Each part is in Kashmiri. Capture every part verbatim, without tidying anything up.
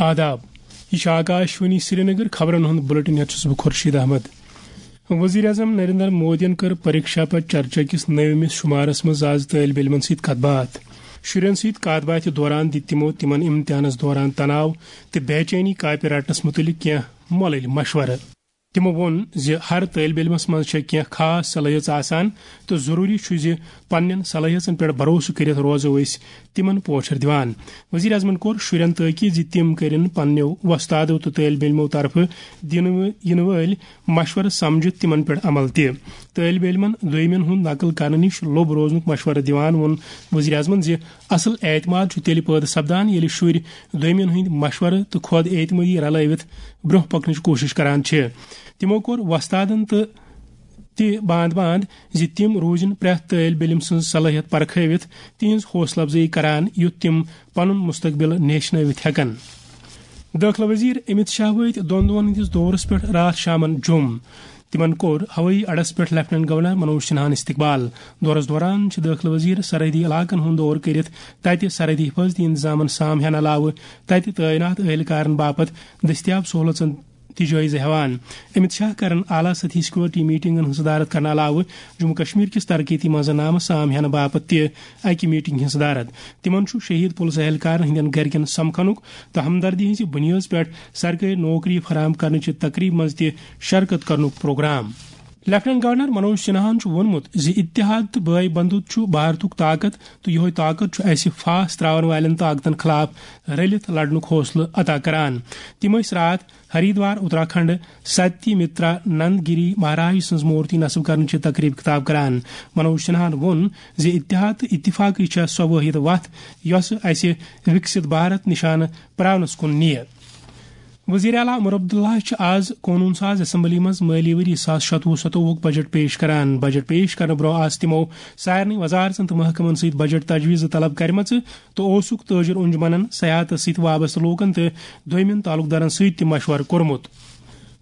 آداب، یہ چھِ آکاش وانی سرینگر۔ خبرن ہُنٛد بلیٹن ہیتھ چھُس بہٕ خورشید احمد۔ وزیر اعظم نریندر مودیَن کٔر پریکشا پر چرچا کِس نٔومِس شمارس منٛز آز طٲلب علمن سۭتۍ کتھ باتھ۔ شُرٮ۪ن سۭتۍ کتھ باتھِ دوران دِتۍ تِمو تِمن امتحانس دوران تناو تہٕ بے چینی کاپہِ رٹنس مُتعلق کینٛہہ مۄلٕلۍ مشورٕ۔ تِمو ووٚن زِ ہر طٲلب علمس منٛز چھےٚ کینٛہہ خاص صلٲحیژ آسان تہٕ ضروٗری چھُ زِ پننٮ۪ن صلٲحیژن پٮ۪ٹھ بھروسہٕ کٔرِتھ روزو أسۍ تِمن پوچھر دِوان۔ وزیر اعظمن کوٚر شُرٮ۪ن تٲکید زِ تِم کٔرِن پننٮ۪و وۄستادو تہٕ طٲلب علمو طرفہٕ دِنہٕ یِنہٕ وٲلۍ مشورٕ سمجھِتھ تِمن پٮ۪ٹھ عمل تہِ۔ طٲلب علمن دوٚیمٮ۪ن ہُنٛد نقل کرنہٕ نِش لوٚب روزنُک مشورٕ دِوان ووٚن وزیر اعظمن زِ اصل اعتماد چھُ تیٚلہِ پٲدٕ سپدان، ییٚلہِ شُرۍ دوٚیمٮ۪ن ہٕنٛدۍ مشورٕ تہٕ خۄد اعتمٲدی رلٲوِتھ برٛونٛہہ پکنٕچ کوٗشش کران چھِ۔ تِمو کوٚر وۄستادن تہٕ تہِ باند باند زِ تِم روزن پرٛٮ۪تھ طٲلب علم سٕنٛز صلٲحیت پرکھٲوِتھ تِہنٛز حوصلہٕ افزٲیی کران، یُتھ تِم پنُن مستقبل نیشنٲوِتھ ہٮ۪کن۔ دٲخلہٕ وزیر امت شاہ وٲتۍ دۄن دۄہن ہٕنٛدِس دورس پٮ۪ٹھ راتھ شامن جوٚم۔ تِمن کوٚر ہوٲیی اڈس پٮ۪ٹھ لیفٹیننٹ گورنر منوج سنہاہن استقبال۔ دورس دوران چھِ دٲخلہٕ وزیر سرحدی علاقن ہُنٛد دورٕ کٔرِتھ تتہِ سرحدی حفاظتی انتظامن سام ہٮ۪نہٕ علاوٕ تتہِ تعینات اہلکارن باپتھ دٔستیاب سہولژن تہِ جٲیزٕ ہٮ۪وان۔ امت شاہ کرن اعلیٰ سطحی سیکورٹی میٹنگن ہٕنٛز صدارت کرنہٕ علاوٕ جموں کشمیر کِس ترقیتی منظرنامس سام ہٮ۪نہٕ باپتھ تہِ اکہِ میٹنگ ہٕنٛز صدارت۔ تِمن چھُ شہید پُلس اہلکارن ہٕنٛدٮ۪ن گرِکٮ۪ن سمکھنُک تہٕ ہمدردی ہٕنٛزِ بُنیٲدس پٮ۪ٹھ سرکٲرۍ نوکری فراہم کرنٕچہِ تقریبہِ منٛز تہِ شرکت کرنُک پروگرام۔ لیفٹیننٹ گورنر منوج سنہاہن چھُ ووٚنمُت زِ اتحاد تہٕ بٲے بندُت چھُ بھارتُک طاقت تہٕ یِہوٚے طاقت چھُ اسہِ پھاس تراون والٮ۪ن طاقتن خلاف رٔلِتھ لڑنُک حوصلہٕ عطا کران۔ تِم ٲسۍ راتھ ہریدوار، اتراکھنڈ، ستیہ مترا نند گیری مہاراج سٕنٛز مورتی نصب کرنٕچہِ تقریب خطاب کران۔ منوج سنہاہن ووٚن زِ اتحاد تہٕ اتفاقٕے چھےٚ سۄ وٲحد وتھ یۄسہٕ اسہِ وکست بھارت نشانہٕ پراونس کُن نِیہِ۔ وزیر اعلیٰ عمر عبداللہ چھِ آز قونوٗن ساز اسمبلی منٛز مٲلی ؤری زٕ ساس شتوُہ ستووُہُک بجٹ پیش کران۔ بجٹ پیش کرنہٕ برٛونٛہہ آسہٕ تِمو سارنٕے وزارتن تہٕ محکمن سۭتۍ بجٹ تجویٖزٕ طلب کرِمژٕ تہٕ اوسُکھ تٲجر انجمنن، سیاحتس سۭتۍ وابستہٕ لوٗکن تہٕ دوٚیمٮ۪ن تعلق دارن سۭتۍ تہِ مشورٕ کوٚرمُت۔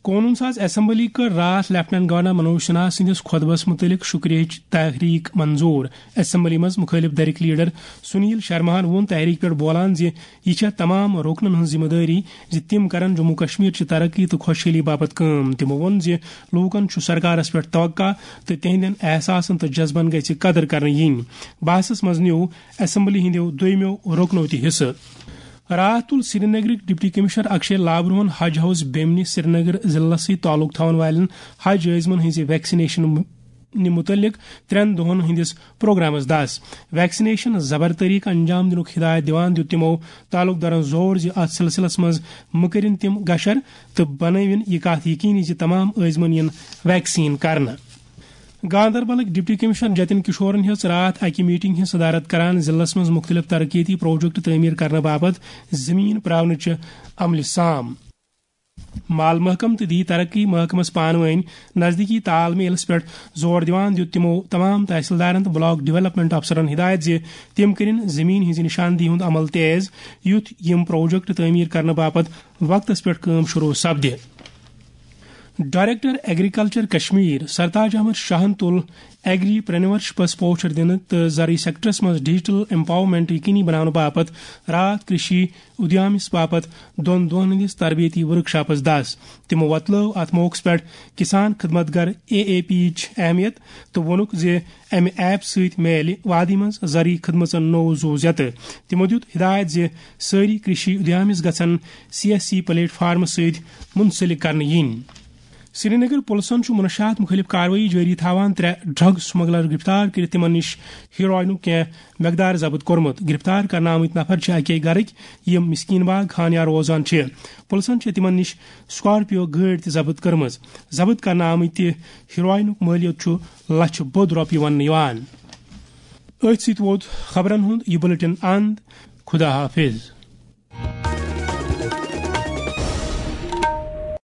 قونوٗن ساز اسمبلی کٔر راتھ لیفٹیننٹ گورنر منوج سنہا سٕنٛدِس خطبس مُتعلق شُکریہٕچ تحریک منظور۔ اسمبلی منٛز مُخٲلف دھرٕکۍ لیڈر سنیل شرماہن ووٚن تحریک پٮ۪ٹھ بولان زِ یہِ چھےٚ تمام رُکنن ہٕنٛز ذمہٕ دٲری زِ تِم کرن جموں کشمیر چہِ ترقی تہٕ خۄشحٲلی باپتھ کٲم۔ تِمو ووٚن زِ لوٗکن چھُ سرکارس پٮ۪ٹھ توقع تہٕ تِہنٛدٮ۪ن احساسن تہٕ جذبن گژھِ قدر کرنہٕ یِنۍ۔ بحثس منٛز نیوٗ اسمبلی ہٕنٛدیو دوٚیمیو رُکنو تہِ حصہٕ۔ راتھ تُل سرینگرٕکۍ ڈپٹی کمشنر اکشے لابروہن حج ہاؤس بیمنہِ سرینگر ضلعس سۭتۍ تعلق تھاون والٮ۪ن حج عٲزمن ہٕنٛزِ ویکسینیشن نہِ مُتعلق ترٛٮ۪ن دۄہن ہٕنٛدِس پروگرامس دس۔ ویکسینیشن زبر طریقہٕ انجام دِنُک ہدایت دِوان دیُت تِمو تعلق دارن زور زِ اتھ سلسلس منٛز مہٕ کٔرِن تِم گشر تہٕ بنٲوِن یہِ کتھ یقینی زِ تمام عٲزمن یِن ویکسین کرنہٕ۔ گاندربلٕکۍ ڈپٹی کمشنر جتن کشورن ہیٚژ راتھ اکہِ میٹنگ ہٕنٛز صدارت کران ضلعس منٛز مُختٔلِف ترقیتی پروجیکٹ تعمیٖر کرنہٕ باپتھ زٔمیٖن پراونٕچہِ عملہِ سام۔ مال محکمہٕ تہٕ دی ترقی محکمس پانہٕ وٲنۍ نزدیٖکی تال میلس پٮ۪ٹھ زور دِوان دیُت تِمو تمام تحصیلدارن تہٕ بلاک ڈیولپمنٹ افسرن ہدایت زِ تِم کٔرِن زٔمیٖن ہٕنٛزِ نشاندہی ہُنٛد عمل تیز، یُتھ یِم پروجیکٹ تعمیٖر کرنہٕ باپتھ وقتس پٮ۪ٹھ کٲم شروع سپدِ۔ ڈائریکٹر ایگریکلچر کشمیر سرتاج احمد شاہن تُل ایگری پرینورشپس پوچھر دِنہٕ تہٕ زرعی سیکٹرس منٛز ڈیجیٹل ایمپاورمنٹ یقینی بناونہٕ باپتھ راتھ کرشی ادیامس باپتھ دۄن دۄہن ہٕنٛدِس تربیتی ورکشاپس دس۔ تِمو وۄتلٲو اتھ موقعس پٮ۪ٹھ کسان خدمت گر اے اے پی یِچ اہمیت تہٕ ووٚنُکھ زِ امہِ ایپ سۭتۍ میلہِ وادی منٛز زرعی خدمژن نوٚو زُو زیتہٕ۔ تِمو دیُت ہدایت زِ سٲری کرشی ادیامس گژھن سی ایس سی پلیٹ فارمس سۭتۍ منسلک کرنہٕ یِنۍ۔ سرینگر پُلسن چھُ منشیات مُخٲلِف کاروٲیی جٲری تھاوان ترٛےٚ ڈرگ سمگلر گرفتار کٔرِتھ تِمن نِش ہیروئنُک کینٛہہ مقدار ضبط کوٚرمُت۔ گرفتار کرنہٕ آمٕتۍ نفر چھِ اَکے گرٕکۍ، یِم مسکین باغ خانیار روزان چھِ۔ پُلسن چھِ تِمن نِش سکارپیو گٲڑۍ تہِ ضبط کٔرمٕژ۔ ضبط کرنہٕ آمٕتۍ تہِ ہیروئنُک مٲلیت چھُ لچھِ بوٚد رۄپیہِ وننہٕ یِوان۔ أتھۍ سۭتۍ ووت خبرن ہُنٛد یہِ بلیٹن اند۔ خدا حافظ۔